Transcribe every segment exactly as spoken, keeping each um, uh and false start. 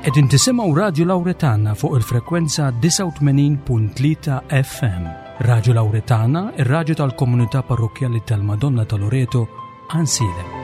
Qegħdin tisimgħu Radju Lawretana fuq il-frekwenza disgħa u tmenin punt tlieta F M. Radju Lawretana, ir-radju tal-komunità parrokkjali tal-Madonna ta' Loreto, Għajnsielem.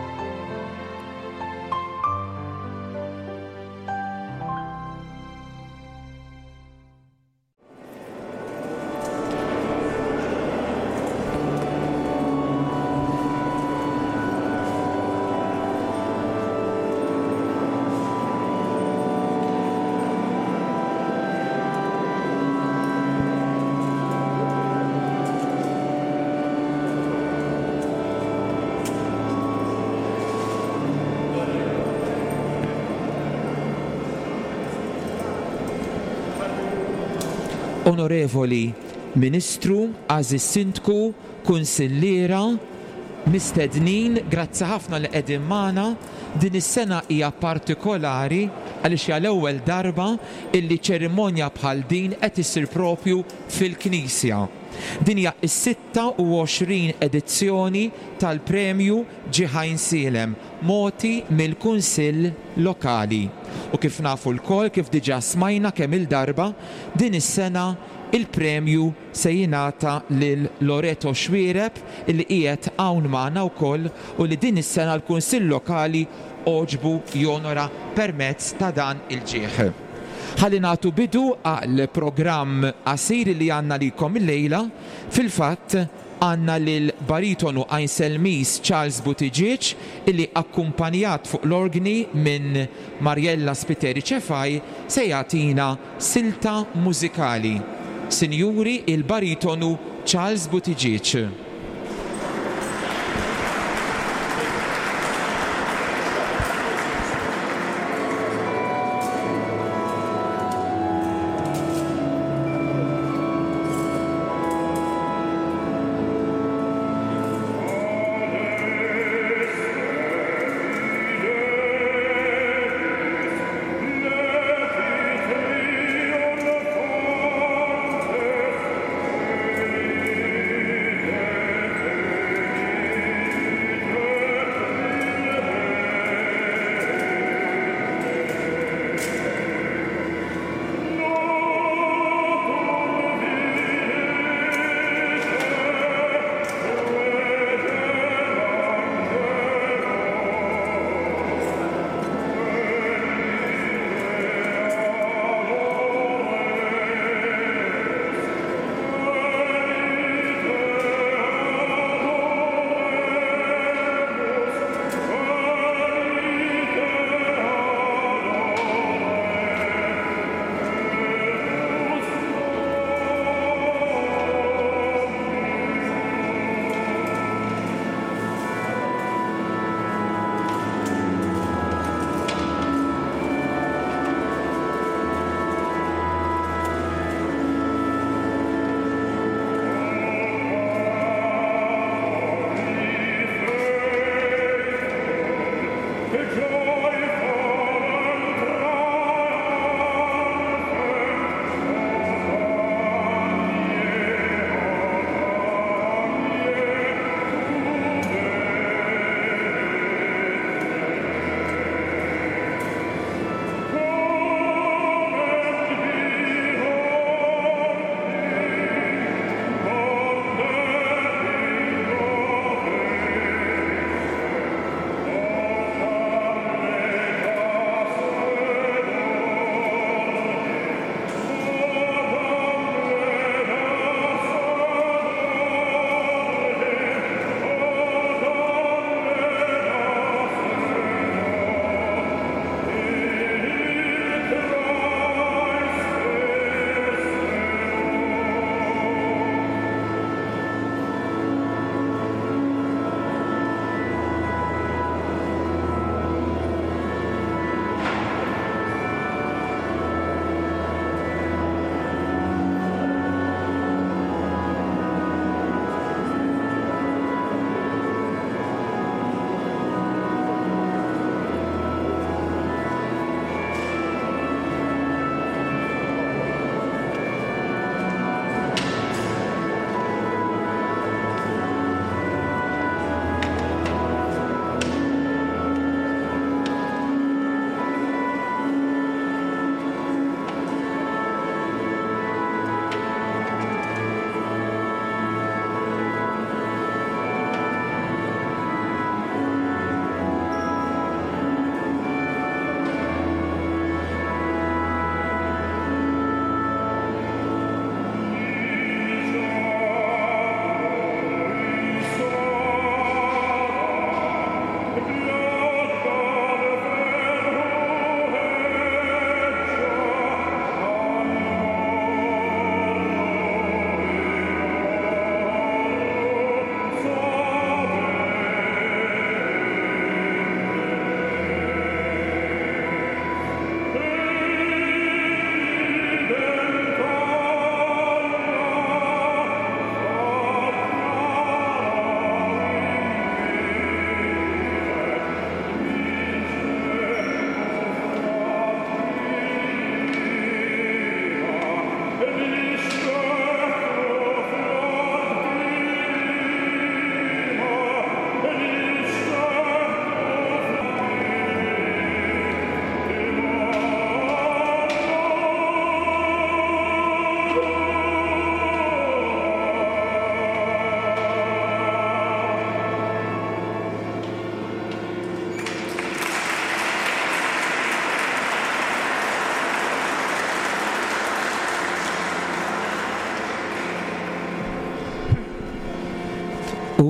Onorevoli Ministru, Għażiż Sindku, Kunsilliera, mistednin, grazzi ħafna li qegħdin magħna. Din is-sena hija partikolari għaliex hija l-ewwel darba illi ċerimonja bħal din qed issir propju fil-Knisja. Din hija s-sitta u għoxrin edizzjoni tal-Premju Ġieħ Għajnsielem, moti mill-Kunsill Lokali. U kif nafu lkoll, kif diġà smajna kemm il-darba, din is-sena il-premju se jingħata lil Loreto Xuereb illi qiegħed hawn magħna wkoll u li din is-sena l-Kunsill Lokali għoġbu jonora permezz ta' dan il-ġieħ. Ħalli nagħtu bidu għal programm qasir li għandna likom illejla. Fil-fatt għandna lil baritonu Għajnselmis Charles Buttigieg illi akkumpanjat fuq l-organi minn Mariella Spiteri Cefai se jagħtina silta mużikali. Sinjuri, il-baritonu Charles Buttigieg. Thank you.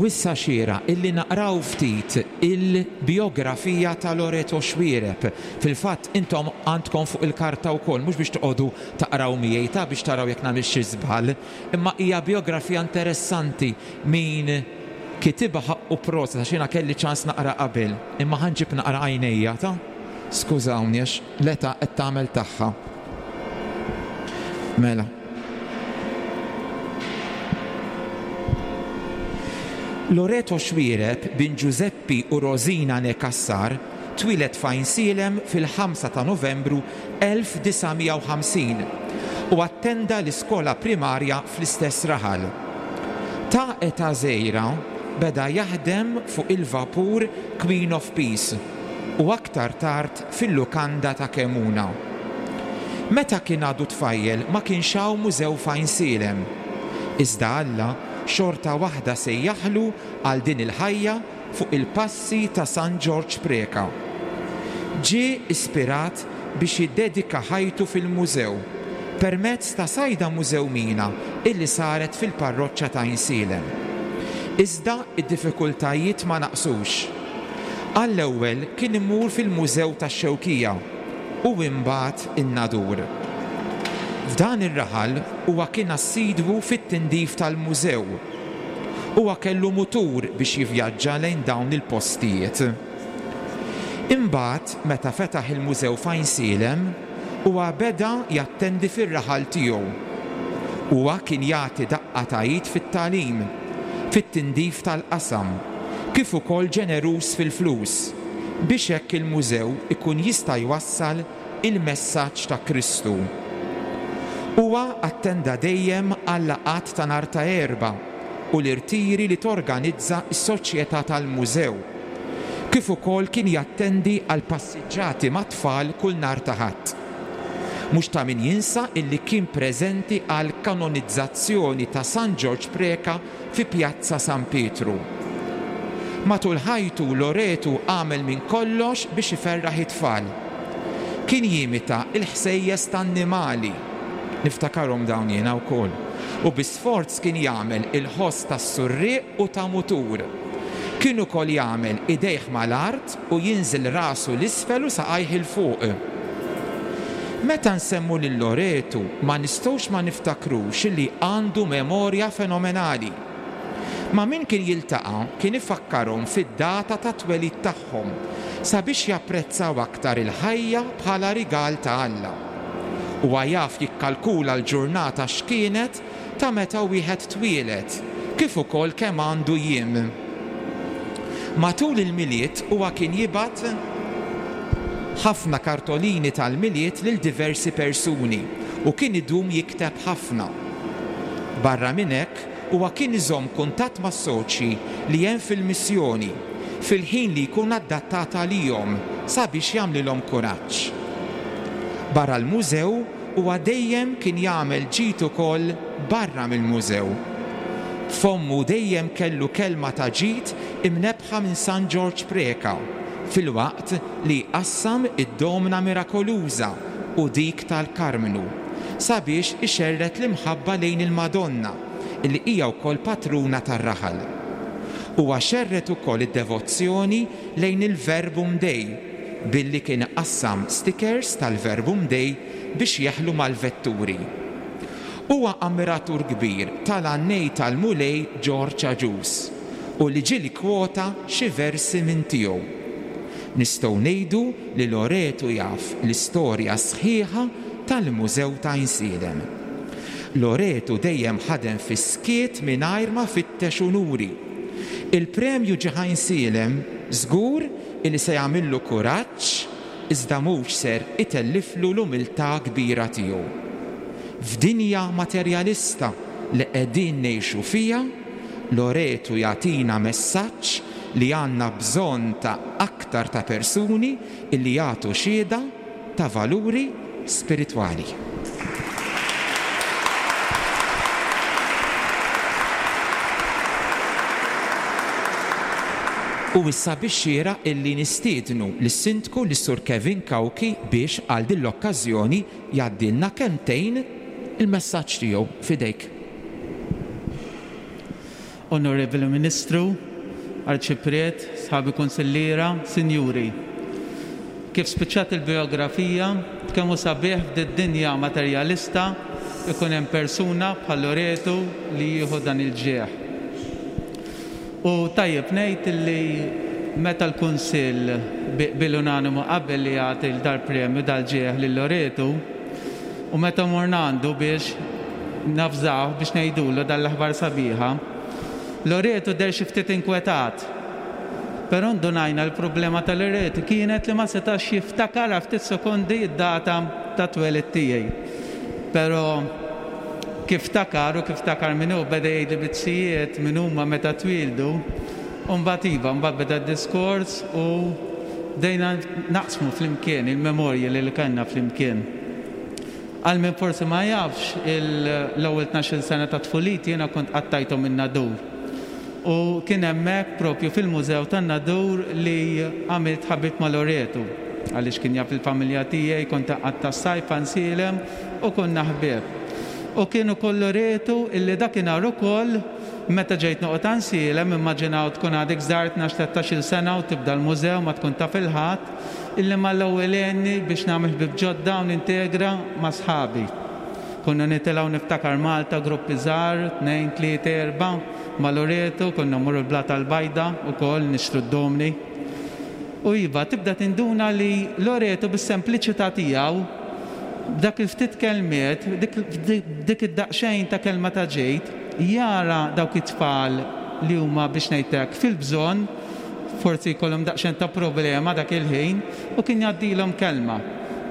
U issa xieraq illi naqraw ftit il-biografija ta' Loreto Xuereb. Fil-fatt intom għandkom fuq il-karta wkoll, mhux biex toqogħdu taqraw miegħi ta' biex taraw jekk nagħmel xi żball, imma hija biografija interessanti min kitibha ħaqqu prosit għax jiena kelli ċans naqra qabel, imma ħa nġib naqra għajnejja ta' skużawni għax l-età qed tagħmel tagħha. Mela. Loreto Xuereb bin Giuseppi u Rosina née Cassar twieled f'Għajnsielem fil-ħamsa ta' Novembru elf disa' mija u ħamsin u attenda l-iskola primarja fl-istess raħal. Ta' età żgħira beda jaħdem fuq il-vapur Queen of Peace u aktar tard fil-lukanda ta' Kemuna. Meta kien għadu tfajjel ma kienx hawn mużew f'Għajnsielem. Iżda Alla xorta waħda sejjaħlu għal din il-ħajja fuq il-passi ta' San Ġorġ Preka. Ġie ispirat biex jiddedika ħajtu fil-mużew permezz ta' sajda mużewmina illi saret fil-parroċċa ta' Għajnsielem. Iżda id-diffikultajiet ma naqsux. Għall-ewwel kien imur fil-Mużew tax-Xewkija u imbagħad in-Nadur. F'dan ir-raħal huwa kien assidwu fit-tindif tal-mużew. Huwa kellu mutur biex jivvjaġġa lejn dawn il-postijiet. Imbagħad meta fetaħ il-mużew f'Għajnsielem, huwa beda jattendi fir-raħal tiegħu. Huwa kien jagħti daqqa ta' id fit-tagħlim, fit-tindif tal-qasam, kif ukoll ġeneruż fil-flus, biex hekk il-mużew ikun jista' jwassal il-messaġġ ta' Kristu. Huwa attenda dejjem għal-laqgħat ta' nhar ta' Erbgħa u l-irtiri li torganizza s-Soċjetà tal-Mużew. Kif ukoll kien jattendi għal passiġġati mat-tfal kull nhar ta' Ħadd. Mhux ta' min jinsa illi kien preżenti għal kanonizzazzjoni ta' San Ġorġ Preka fi Pjazza San Pietru. Matul ħajtu Loretu għamel minn kollox biex iferraħ it-tfal. Kien jimita il-ħsejjes tan-annimali. Niftakarhom dawn jiena wkoll. U bi sforz kien jagħmel il-ħoss tas-surriq u ta' mutur. Kien ukoll jagħmel idejh mal-art u jinżel rasu 'l isfel u saqajh 'il fuq. Meta nsemmu lil Loretu ma nistgħux ma niftakrux li għandu memorja fenomenali. Ma' min kien jiltaqa' kien ifakkarhom fid-data ta' twelid tagħhom sabiex japprezzaw aktar il-ħajja bħala rigal ta' Alla. Huwa jaf jikkalkula l-ġurnata x'kienet ta' meta wieħed twieled, kif ukoll kemm għandu jiem. Matul il-Milied huwa kien jibgħat ħafna kartolini tal-Milied lil diversi persuni u kien idum jikteb ħafna. Barra minn hekk, huwa kien iżomm kuntatt mas-soċji li hemm fil-missjoni fil-ħin li jkun adattat għalihom sabiex jagħmlilhom kuraġġ. Barra l-mużew huwa dejjem kien jagħmel ġid ukoll barra mill-mużew. Fommu dejjem kellu kelma ta' ġid imnebbħa minn San Ġorġ Preka filwaqt li qassam id-domna mirakoluża u dik tal-Karmnu sabiex ixerred l-imħabba lejn il-Madonna illi hija wkoll patruna tar-raħal. Huwa xerred ukoll id-devozzjoni lejn il-Verbum Dei billi kien qassam stickers tal-Verbum Dei biex jeħlu mal-vetturi. Huwa ammiratur kbir tal-għannej tal-Mulej Ġorġ Agius u li ġieli kwota xi versi minn tiegħu. Nistgħu ngħidu li Loretu jaf l-istorja sħiħa tal-Mużew ta' Għajnsielem. Loretu dejjem ħadem fis-skiet mingħajr ma fittex unuri. Il-premju ġie Għajnsielem żgur illi se jagħmillu kuraġġ iżda mhux ser itelliflu l-umiltà kbira tiegħu. F'dinja materjalista li qegħdin ngħixu fiha, Loretu jagħtina messaġġ li għandna bżonn ta' aktar ta' persuni illi jagħtu xhieda ta' valuri spiritwali. U issa biex xieraq illi nistiednu lis-Sindku lis-Sur Kevin Cauchi biex għal din l-okkażjoni jgħaddilna kelmtejn il-messaġġ tiegħu f'idejk. Onorevoli Ministru, Arċipriet, sħabi kunsilliera, sinjuri. Kif spiċċat il-biografija, kemm hu sabiħ f'did-dinja materjalista ikun hemm persuna bħal Loretu li jieħu dan il-ġieħ. U tajjeb ngħid li meta l-Kunsill bil-unanimu qabel li jagħti dal-premju dal-ġieħ lil Loretu, u meta morna għandu biex nafżaw biex ngħidulu dal-aħbar sabiħa, Loretu deher xi ftit inkwetat. Però ndunajna l-problema ta' Loretu kienet li ma setax jiftakar ftit sekondi id-data ta' twelid tiegħi. Però kif ftakar u kif ftakar min hu beda jgħidli bizzijiet min huma meta twildu, u mbagħad iva, mbagħad beda d-diskors u bdejna naqsmu flimkien il-memorji li kellna flimkien. Għal min forsi ma jafx, l-ewwel tnax-il sena ta' tfuliti jiena kont qattajthom in-Nadur. U kien hemmhekk propju fil-Mużew tan-Nadur li għamilt ħabib ma' Loretu, għaliex kien jaf il-familja tiegħi, kont qatta s-sajf Għajnsielem u konna ħbieb. U kien ukoll Loretu illi dakinhar ukoll meta ġejt noqgħod Għajnsielem, immaġinaw tkun għadek żgħar tnax tlettax-il sena u tibda l-mużew ma tkun taf il-ħadd, illi mal-ewwel għenni biex nagħmel ħbieb ġodda u nintegra ma' sħabi. Konna nitilgħu niftakar Malta, gruppi żgħar, tnejn, tlieta, erba', ma' Loretu, konna mmorru l-Blata l-Bajda ukoll nixtru d-domni. U iva, tibda tinduna li Loretu bis-sempliċità tiegħu, b'dak il-ftit kelmiet, dik id-daqsxejn ta' kelma ta' ġejt, jara dawk it-tfal li huma biex ngħidlek fil-bżonn, forsi jkollhom daqsxejn ta' problema dak il-ħin, u kien jgħaddilhom kelma.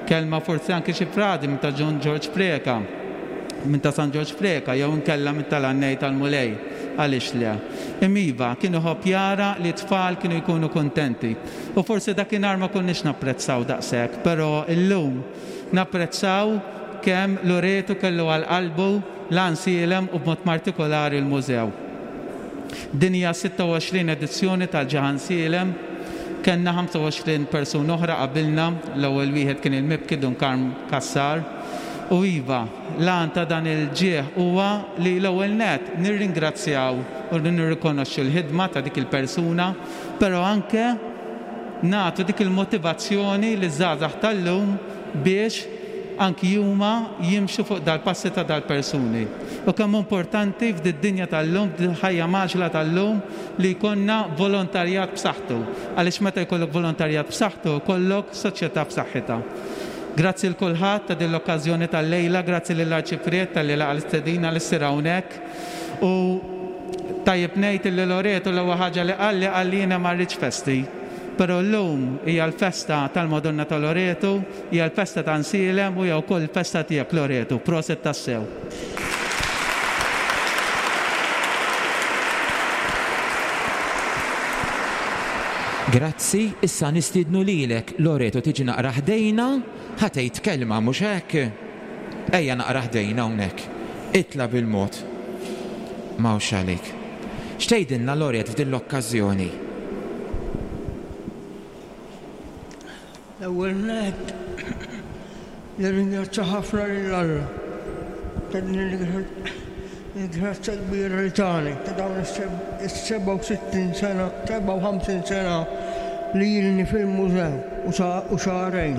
Kelma forsi anke xi fradi minn ta' John George Preca, minn ta' San Ġorġ Preca, jew inkella minn tal-Għannej tal-Mulej, għaliex le. Imma iva, kien iħobb jara li t-tfal kienu jkunu kuntenti. U forsi dakinhar ma konniex napprezzaw daqshekk, però illum napprezzaw kemm Loretu kellu għal qalbu l-Għajnsielem u b'mod partikolari l-mużew. Din hija sitta u għoxrin edizzjoni tal-Ġieħ Għajnsielem, kellna ħamsa u għoxrin persuna oħra qabilna, l-ewwel wieħed kien il-mibki Dun Karm Cassar. U iva, l-għan ta' dan il-ġieħ huwa li l-ewwel net nirringrazzjaw u nirrikonoxxu l-ħidma ta' dik il-persuna, però anke nagħtu dik il-motivazzjoni li żgħażagħ tal-lum biex anki huma jimxu fuq dal-passi ta' dal-persuni. U kemm importanti f'did-dinja tal-lum, f'dil-ħajja maġla tal-lum, li jkollna volontarjat b'saħħtu. Għaliex meta jkollok volontarjat b'saħħtu, jkollok soċjetà b'saħħitha. Grazzi l kulħadd ta' din l-okkażjoni tal-lejla, grazzi lill-Arċipriet tal-li laqa l-istedina li ssir hawnhekk. U tajjeb ngħid li Loretu l-ewwel ħaġa li qalli qalli jiena ma rridx festi. Però llum hija l-festa tal-Madonna ta' Loretu, hija l-festa ta' Għajnsielem u hija wkoll il-festa tiegħek Loretu. Proset tassew. Grazzi, issa nistiednu lilek Loretu tiġi naqra ħdejna, ħa tgħid kelma mhux hekk? Ejja naqra ħdejna hawnhekk. Itla' bil-mod. M'hawnx għalik. X'tgħidilna Loretu f'din l-okkażjoni? L-ewwel nett nirringrazzja ħafna lil Alla ta' din il-grazzja kbira li tani ta' dawn is-sebgħa u sittin sena, sebgħa u ħamsin sena li ilni fil-mużew u xahrejn.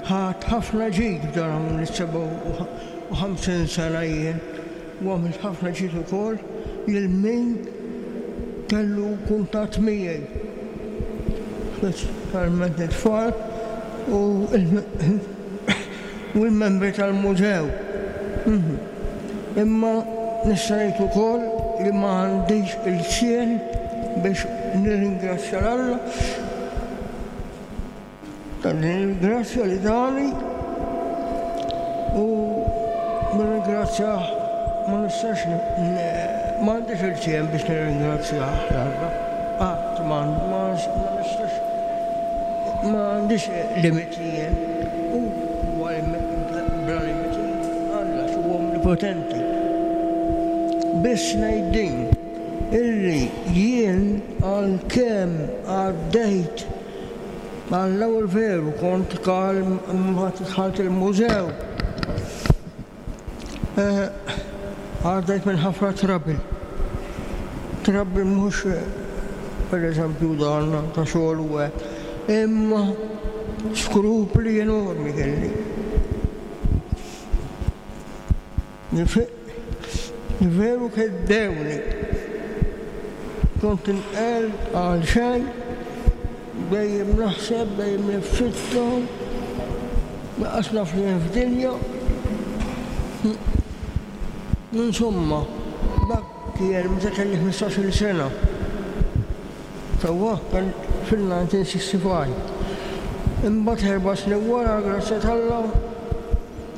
Ħadt ħafna ġid f'dawn is-sebgħa u ħamsin sena jien u għamilt ħafna ġid ukoll lil min kellu kuntatt miegħi, speċjalment it-tfal u l-membri tal-mużew. Imma nista' ngħid ukoll li ma għandix il-ksien biex nirringrazzja l Alla ta' din il-grazzja li tani u nirringrazzjah ma nistax ma għandix il-ksien biex nirringrazzjah l Alla. Qatt ma nistax ma għandix limiti jien. U huwa bla limiti Alla huwa omnipotenti. Biss ngħid din illi jien għalkemm għaddejt għall-ewwel veru kont kalm mbagħad dħalt il-mużew. Għaddejt minn ħafna trouble. Trouble mhux per eżempju dan ta' xogħol u hekk. Imma skrupli enormi kelli. Li veru keddewni. Kont inqel għal xejn, dejjem naħseb, dejjem niffitta, lanqas naf li hemm f'dinja. Insomma, dak kien meta kelli ħmistax-il sena. Sewwa kien fil-nineteen sixty-five. Imbagħad erba' snin wara, grazzja t'Alla,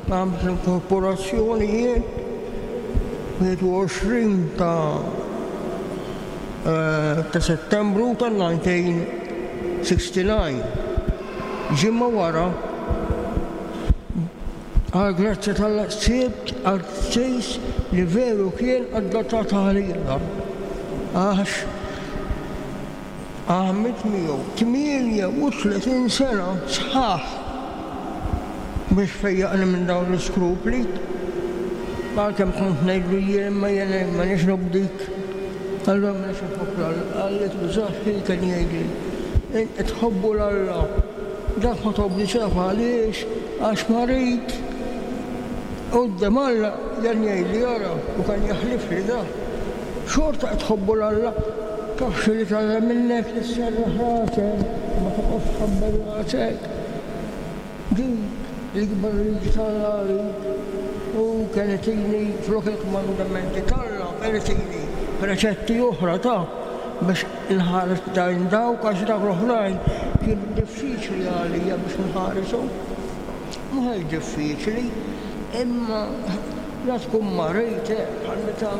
għamilt l-inkorporazzjoni jien, wieħed u għoxrin ta', eh, ta' Settembru ta' nineteen sixty-nine. Ġimgħa wara, għal grazzja t'Alla sibt għal-sejs li veru kien adattat għalija. Għax għamilt miegħu tmienja u tletin sena sħaħ biex fejjaqni minn dawn l-iskrupli. Għalkemm kont ngħidlu jien imma jien ma nix nobdik. Allura ma nix nħobb l-Alla. Qalli tużax kien jgħidli. Int tħobbu l-Alla. Dak ma tobdix taf għaliex, għax marid. Quddiem Alla jan jgħidli ara u kan jaħlifli da. Xorta qed tħobbu l-Alla. Taf xi li tagħmel minnek li sserraħ rasek, ma toqgħodx tħabbel rasek. Din l-ikbar liġi t'Alla għalik. U kien itini flok il-kmandamenti t'Alla, kien itini preċetti oħra ta' biex inħares dajn dawk, għax dawk l-oħrajn kienu diffiċli għalija biex nħarishom. Mhux diffiċli, imma la tkun marid, bħal meta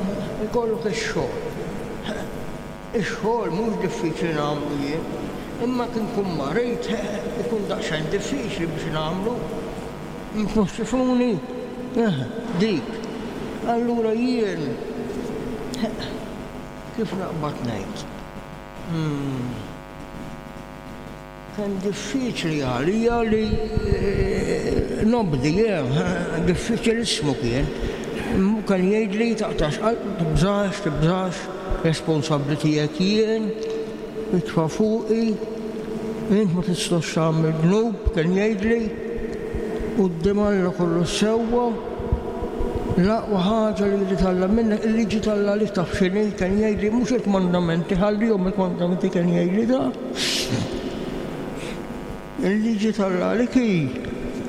jkollok ix-xogħol. Ix-xogħol mhux diffiċli nagħmlu jien, imma kien nkun marid ikun daqsxejn diffiċli biex nagħmlu. Mhux tifhmuni? Eh, dik. Allura jien kif naqbad ngħid? Hmm. Kien diffiċli għalija li, eh, nobdi, eh, diffiċilissmu kien. Kien jgħidli taqtax qalb, tibżax, tibżax, responsabbli tiegħek jien, itfa' fuqi, int ma tistax tagħmel dnub, kien jgħidli, quddiem Alla kollu sewwa, l-aqwa ħaġa li jrid Alla minnek, il-liġi t'Alla li taf x'inhi, kien jgħidli mhux il-kmandamenti, ħallihom il-kmandamenti kien jgħidli da. Il-liġi t'Alla li hi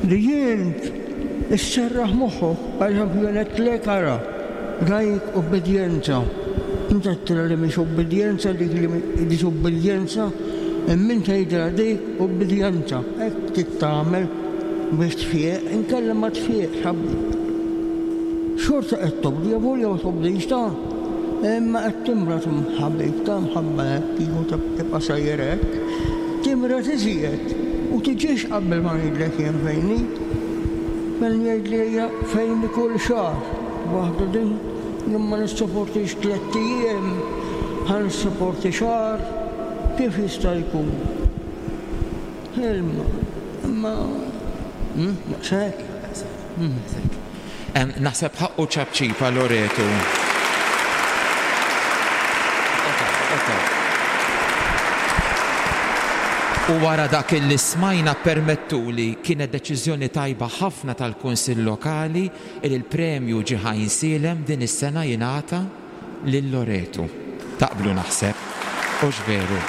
li jint isserraħ moħħok, per eżempju jien għedtlek ara, rajk obbedjenza. Inti għedtilha li mhix obbedjenza, dik li disobbedjenza, imma inti tgħidilha dik obbedjenza. Hekk trid tagħmel biex tfieq, inkella ma tfieqx, ħabib. Xorta qed tobdi, jew ma tobdix ta', imma qed timrad ħabib ta' mħabba hekk, kieku tibqa' sejjer hekk, timrad iżjed u tiġix qabel ma ngħidlek jien fejni. Kien jgħidli ejja fejni kull xahar, waħda din jien ma nissaportix tliet ijiem, ħa nissaporti xahar, kif jista' jkun? Ilma, imma, hmm, daqshekk. Em, naħseb ħaqqu ċapċipa Loretu. U wara dak li smajna permettuli kienet deċiżjoni tajba ħafna tal-Kunsill Lokali li l-premju ġie Għajnsielem din is-sena jingħata lil Loretu. Taqblu naħseb, hux veru?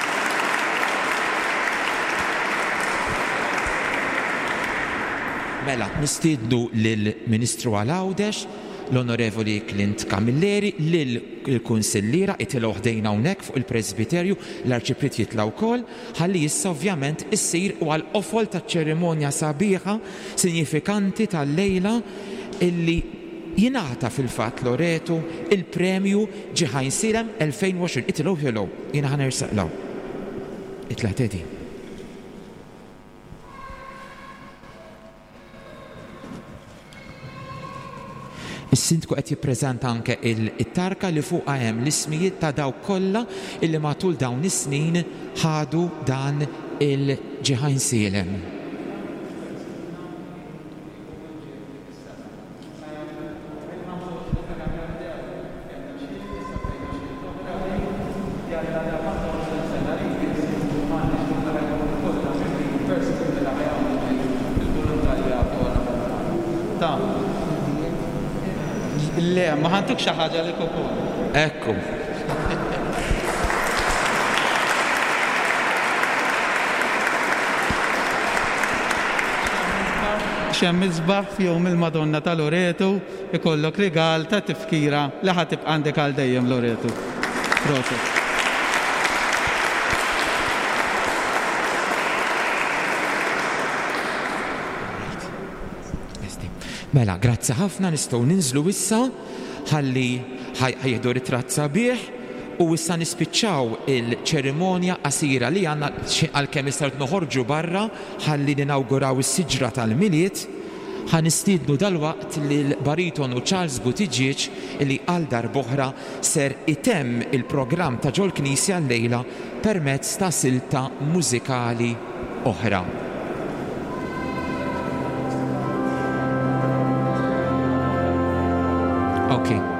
Mela, nistiednu lill-Ministru għal Għawdex, l-Onorevoli Clint Camilleri, lill-Kunsilliera itilgħu ħdejna hawnhekk fuq il-Presbiterju, l-Arċipriet jitla' wkoll, ħalli issa ovvjament issir u għall-qofol taċ-ċerimonja sabiħa sinifikanti tal-lejla illi jingħata fil-fatt Loretu il-premju ġie Għajnsielem elfejn u għoxrin. Itilgħu, itilgħu, jiena ħa nersaq law. Itla' Teddy. Is-sindku qed jippreżenta anke il-tarka li fuqha hemm l-ismijiet ta' dawk kollha illi matul dawn is-snin ħadu dan il-ġie Għajnsielem. Le, ma ħa ntuk xi ħaġa li ukoll. Ekku. X'hemm isbaħ f'jum il-Madonna ta' Loretu ikollok rigal ta' tifkira li ħa tibqa' għandek għal dejjem Loretu. Proset. Mela, grazzi ħafna, nistgħu ninżlu issa ħalli ħa jieħdu ritratt sabiħ u issa nispiċċaw il-ċerimonja qasira li għandna għalkemm issa noħorġu barra ħalli ninawguraw is-siġra tal-Milied. Ħa nistiednu dalwaqt lil baritonu Charles Buttigieg li għal darb'oħra ser itemm il-programm ta' ġol-Knisja llejla permezz ta' silta mużikali oħra. Okay.